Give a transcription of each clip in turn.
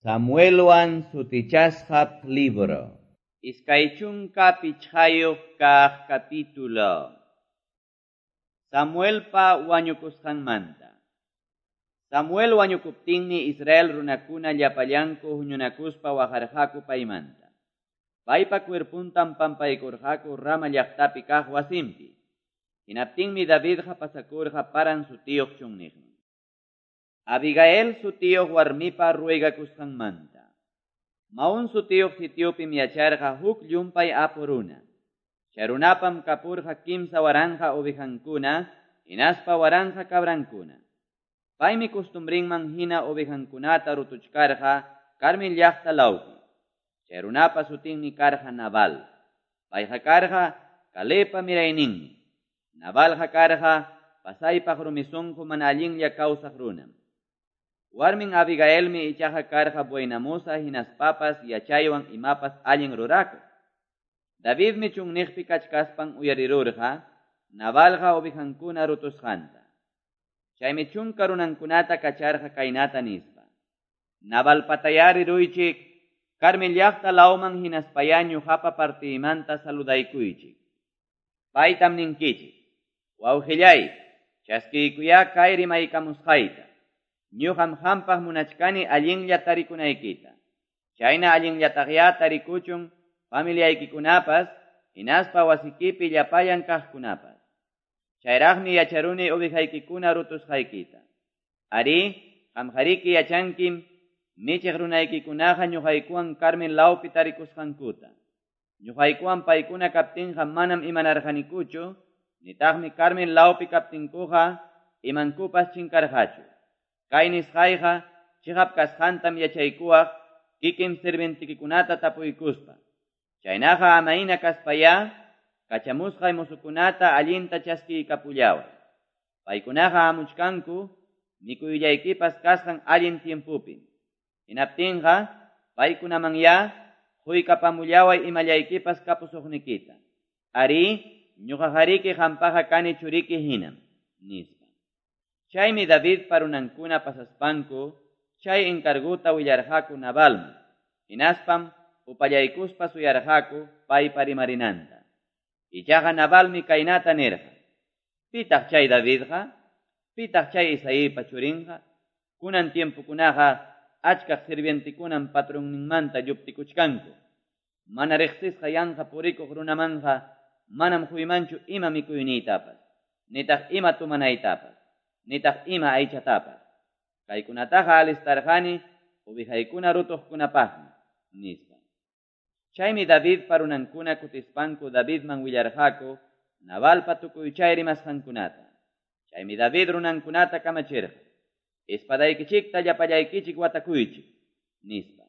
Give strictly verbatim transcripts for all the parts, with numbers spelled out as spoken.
Samuelwan sutichasqa libro. Iskay chunka pichqayuq kaq capítulo. Samuelpa wañukusqanmanta. Samuel wañukuptinmi Israel runakuna llapallanku huñunakuspa waqarqaku paymanta. Paypa cuerpuntam pampaykurqaku Rama llaqtapi kaq wasinpi. Hinaptinmi Davidqa pasakurqa Paran sutiyuq chunniqman. Abigail sutiyuq warmipa ruegakusqanmanta. Maón sutiyuq sitiopim yacharqa huk llumpay apu runa. Chay runapam kapurqa kimsa waranqa ovejankuna, hinaspa waranqa cabrankuna. Paymi costumbrinman hina ovejankunata rutuchkarqa Carmel llaqta lawpi. Chay runapa sutinmi karqa Nabal. Payqa karqa Calebpa mirayninmi. Nabalqa karqa pasaypaq rumisunqu mana allinlla kawsaq runam. Warmin Abigailmi ichaqa karqa buenamosa hinaspapas yachaywan imapas allin rurakuq. Davidmi chunniqpi kachkaspan uyarirurqa Nabalqa ovejankuna rutusqanta. Chaymi chunka runankunata kacharqa kaynata nispa: Nabalpatayari ruychik, Carmel llaqta lawman hinaspaya ñuqapa partiymanta saludaykuychik. Paytam ninkichik: Wawqillay, chaskiykuyá kay rimaykamusqayta. Ñuqam hampaq munachkani allinlla tarikunaykita. Chayna allinllataqya tarikuchun familiaykikunapas, hinaspa wasikipi llapallan kaqkunapas. Chayraqmi yacharuni ovejaykikuna rutusqaykita. Ari, qamqariki yachankim michiq runaykikunaqa ñuqaykuwan Carmel lawpi tarikusqankuta. Ñuqaykuwan paykuna kaptinqa manam imanarqanikuchu, nitaqmi Carmel lawpi kaptinkuqa imankupas chinkarqachu. Kay nisqayqa chiqap kasqantam yachaykuwaq kikin sirvientikikunata tapuykuspa. Chaynaqa amayna kaspayá kachamusqay musukunata allinta chaskiykapullaway. Paykunaqa hamuchkanku mikuyllaykipas kasqan allin tiempupim. Hinaptinqa paykunamanyá quykapamullaway imallaykipas kapusuqnikita. Ari, ñuqaqariki hampaqa kani churiki hinam, nispa. Chaymi Davidpa runankuna pasaspanku chay encarguta willarqaku Nabalman. Hinaspam upallaykuspa suyarqaku paypa rimarinanta. Ichaqa Nabalmi kaynata nirqa: Pitaq chay Davidqa? Pitaq chay Isaípa churinqa? Kunan tiempukunaqa achkaq sirvientikunan patronninmanta lluptikuchkanku. Mana riqsisqa yanqa purikuq runamanqa manam quymanchu ima mikuyniytapas, nitaq ima tumanaytapas, nitaq ima aychatapas. Kaykunataqa alistarqani ovejaykuna rutuqkunapaqmi, nispa. Chaymi Davidpa runankuna kutispanku Davidman willarqaku Nabalpa tukuy chay rimasqankunata. Chaymi David runankunata kamachirqa: Espadaykichikta llapallaykichik watakuychik, nispa.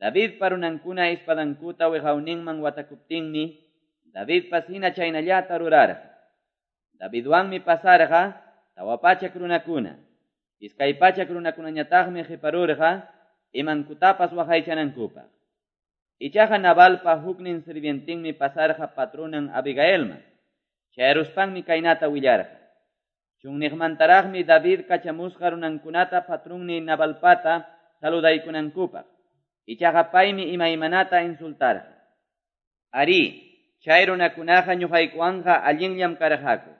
Davidpa runankuna espadankuta wiqawninman watakuptinmi Davidpas hina chaynallata rurarqa. Davidwanmi pasarqa tawa pachak runakuna. Iskay pachak runakunañataqmi qiparurqa imankutapas waqaychanankupaq. Ichaqa Nabalpa huknin sirvientinmi pasarqa patronan Abigailman. Chayruspanmi kaynata willarqa: Chunniqmantaraqmi David kachamusqa runankunata patrunni Nabalpata saludaykunankupaq. Ichaqa paymi imaymanata insultarqa. Ari, chay runakunaqa ñuqaykuwanqa allinllam karqaku.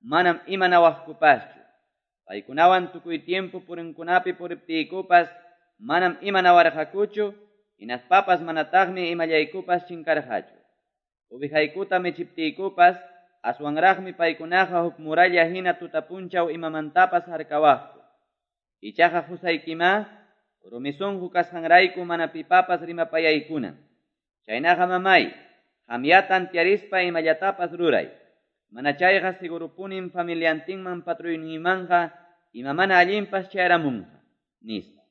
Manam imanawaqkupaschu. Paykunawan tukuy tiempo purinkunapi puriptiykupas manam imanawarqakuchu, hinaspapas manataqmi imallaykupas chinkarqachu. Ovejaykuta michiptiykupas aswanraqmi paykunaqa huk muralla hina tutapunchaw imamantapas harkawaqku. Ichaqa qusaykimá rumisunqu kasqanrayku mana pipapas rimapayaykunan. Chaynaqa mamay, qamya tantiarispa imallatapas ruray. Mana chayqa sigurupunim familiantinman patruyninmanqa ima mana allinpas chayaramunqa, nispa.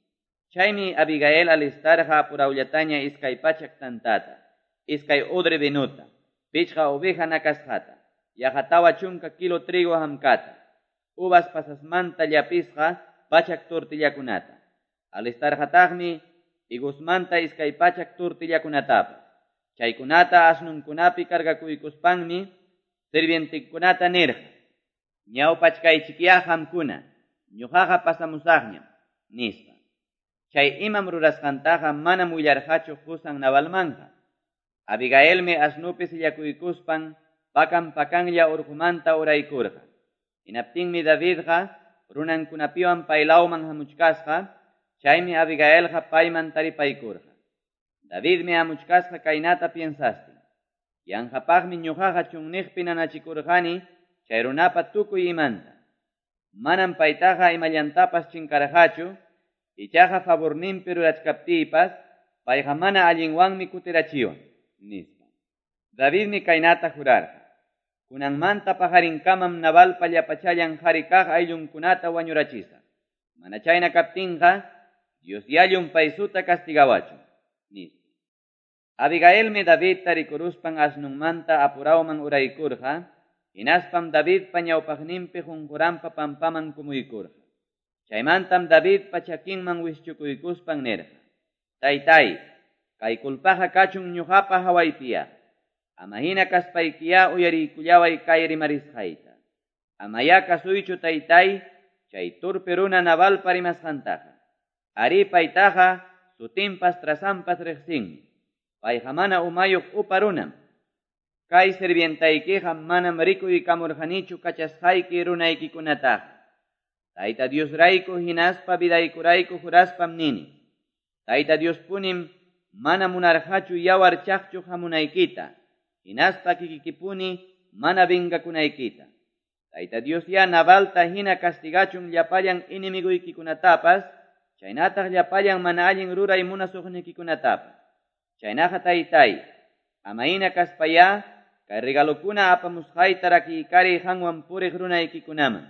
Chaymi Abigail alistarqa apurawllataña iskay pachak tantata, iskay odre vinuta, pichqa oveja nakasqata, yaqa tawa chunka kilo trigo hamkata, uvas pasasmanta llapisqa pachak tortillakunata. Alistarqataqmi higosmanta iskay pachak tortillakunatapas. Chaykunata asnunkunapi cargakuykuspanmi sirvientekunata nirqa: Ñawpachkaychikyá qamkuna, ñuqaqa pasamusaqñam, nispa. Chay imam rurasqantaqa manam willarqachu qusan Nabalmanqa. Abigailmi asnupi sillakuykuspan pakan pakanlla urqumanta uraykurqa. Hinaptinmi Davidqa runankunapiwan paylawman hamuchkasqa, chaymi Abigailqa payman taripaykurqa. Davidmi hamuchkasqa kaynata piensastin: Yanqapaqmi ñuqaqa chunniqpi nanachikurqani chay runapa tukuy imanta. Manam paytaqa imallantapas chinkarqachu, ichaqa favorninpi rurachkaptiypas payqa mana allinwanmi kutirachiwan, nispa. Davidmi kaynata jurarqa: Kunanmanta paqarinkamam Nabalpa llapachallan qhari kaq ayllunkunata wañurachisaq. Mana chayna kaptinqa, Dios yallun paysuta castigawachun, nispa. Abigailmi Davidta rikuruspan asnunmanta apurawman uraykurqa, hinaspam Davidpa ñawpaqninpi qunquranpa pampaman kumuykurqa. Chaymantam Davidpa chakinman wischukuykuspan nirqa: Taytay, kay culpaqa kachun ñuqapa hawaypiya. Ama hina kaspaykiya uyariykullaway kay rimarisqayta. Amaya kasuychu taytay, chay turpi runa Nabalpa rimasqantaqa. Ari paytaqa sutinpas trasampas riqsinmi. Payqa mana umayuq upa runam. Kay sirvientaykiqa manam rikuykamurqanichu kachasqayki runaykikunataqa. Tayta Diosrayku hinaspa vidaykurayku juraspam nini: Tayta Diospunim mana munarqachu yawar chaqchuq hamunaykita, hinaspa kikikipuni mana vengakunaykita. Tayta Dios ya Nabalta hina castigachun llapallan enemiguykikunatapas, chaynataq llapallan mana allin ruray munasuqnikikunatapas. Chaynaqa taytay, ama hina kaspaya, kay regalokuna apamusqayta rakiykari qanwan puriq runaykikunaman.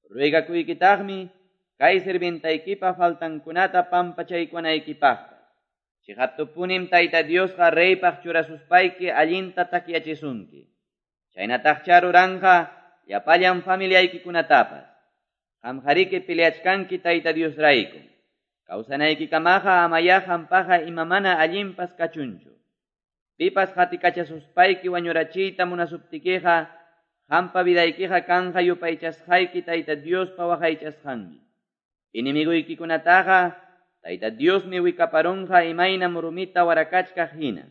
Ruegakuykitaqmi kay sirvientaykipa faltankunata pampachaykunaykipaqpas. Chiqaptupunim Tayta Diosqa reypaq churasuspayki allinta takyachisunki. Chaynataqcha ruranqa llapallan familiaykikunatapas. Qamqariki peleachkanki Tayta Diosrayku. Kawsanaykikamaqa amaya qampaqa ima mana allinpas kachunchu. Pipas qatikachasuspayki wañurachiyta munasuptikiqa, qampa vidaykiqa kanqa yupaychasqayki Tayta Diospa waqaychasqanmi. Enemiguykikunataqa Tayta Diosmi wikaparunqa imaynam rumita warakachkaq hina.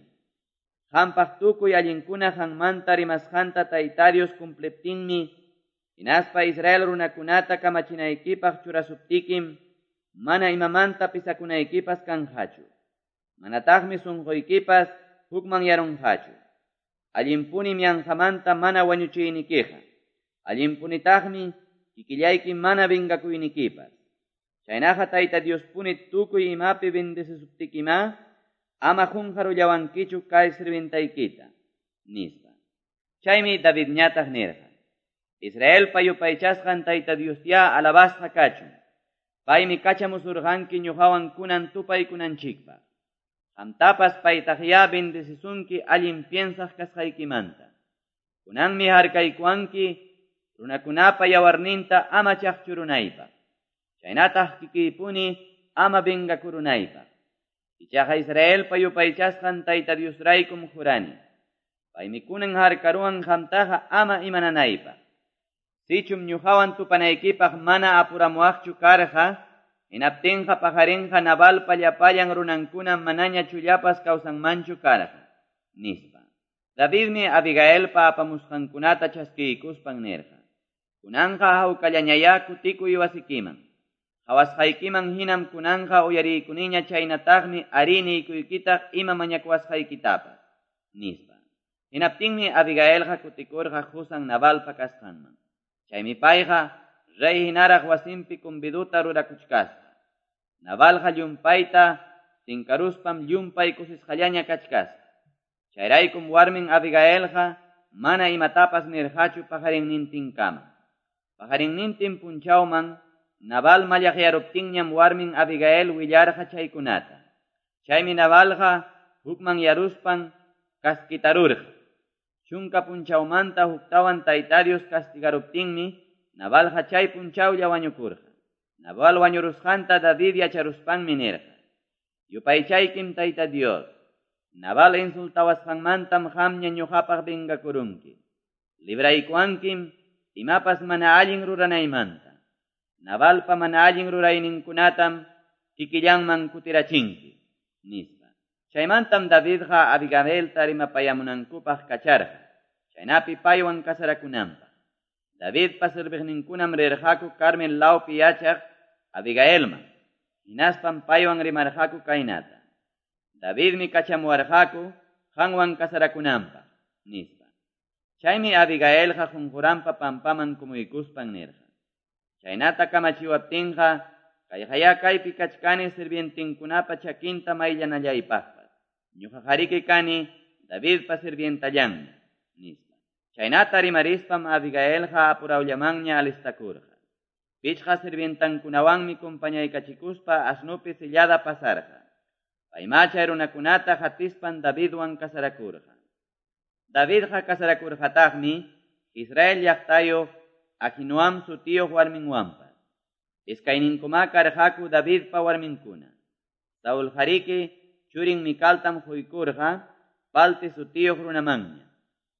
Qampaq tukuy allinkuna qanmanta rimasqanta Tayta Dios cumpliptinmi, hinaspa Israel runakunata kamachinaykipaq churasuptikim, mana imamanta pisakunaykipas kanqachu. Manataqmi sunquykipas hukmanyarunqachu. Allinpunim yanqamanta mana wañuchiynikiqa. Allinpunitaqmi kikillayki mana vengakuynikipas. Chaynaqa Tayta Diospuni tukuy imapi bendecesuptikima, ama qunqarullawankichu kay sirvientaykita, nispa. Chaymi Davidñataq nirqa: Israelpa yupaychasqan Tayta Diosya alabasqa kachun. Paymi kachamusurqanki ñuqawan kunan tupaykunanchikpaq. Qamtapas paytaqya bendecisunki allin piensaq kasqaykimanta. Kunanmi harkaykuwanki runakunapa yawarninta ama chaqchurunaypaq. Chaynataq kikiypuni ama vengakurunaypaq. Ichaqa Israelpa yupaychasqan Tayta Diosraykum jurani. Paymi kunan harkaruwan qamtaqa ama imananaypaq. Sichum ñuqawan tupanaykipaq mana apuramuwaqchu karqa, hinaptinqa paqarinqa Nabalpa llapallan runankuna manaña chullapas kawsanmanchu karqa, nispa. Davidmi Abigailpa apamusqankunata chaskiykuspan nirqa: Kunanqa hawkallañaya kutikuy wasikiman. Qhawasqaykiman hinam kunanqa uyariykuniña chaynataqmi ari niykuykitaq ima mañakuwasqaykitapas, nispa. Hinaptinmi Abigailqa kutikurqa qusan Nabalpa kasqanman. Chaymi payqa rey hinaraq wasinpi conviduta rurakuchkasqa. Nabalqa llumpayta tinkaruspam llumpay kusisqallaña kachkasqa. Chayraykum warmin Abigailqa mana imatapas nirqachu paqarinnintinkama. Paqarinnintin punchawman Nabal mallaqyaruptinñam warmin Abigail willarqa chaykunata. Chaymi Nabalqa hukmanyaruspan kaskitarurqa. Chunka punchawmanta huktawan Tayta Dios castigaruptinmi Nabalqa chay punchawlla wañukurqa. Nabal wañurusqanta David yacharuspanmi nirqa: Yupaychaykim Tayta Dios, Nabal insultawasqanmantam qamña ñuqapaq vengakurunki. Libraykuwankim imapas mana allin ruranaymanta. Nabalpa mana allin rurayninkunatam kikillanman kutirachinki, nispa. Chaymantam Davidqa Abigailta rimapayamunankupaq kacharqa, chaynapi paywan casarakunanpaq. Davidpa serviqninkunam rirqaku Carmel lawpi yachaq Abigailman, hinaspam paywan rimarqaku kaynata: Davidmi kachamuwarqaku qanwan casarakunanpaq, nispa. Chaymi Abigailqa qunquranpa pampaman kumuykuspan nirqa: Chaynata kamachiwaptinqa, kayqaya kaypi kachkani sirvientinkunapa chakinta mayllanallaypaqpas. Ñuqaqariki kani Davidpa sirvientallanmi, nispa. Chaynata rimarispam Abigailqa apurawllamanña alistakurqa. Pichqa sirvientankunawanmi compañaykachikuspa asnupi sillada pasarqa. Paymá chay runakunata qatispan Davidwan casarakurqa. Davidqa casarakurqataqmi Israel llaqtayuq Ahinoam sutiyuq warminwanpas. Iskayninkumá karqaku Davidpa warminkuna. Saulqariki churin Micaltam quykurqa Palti sutiyuq runamanña.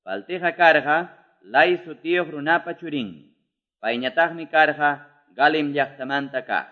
Paltiqa karqa Lais sutiyuq runapa churinmi. Payñataqmi karqa Galim llaqtamanta kaq.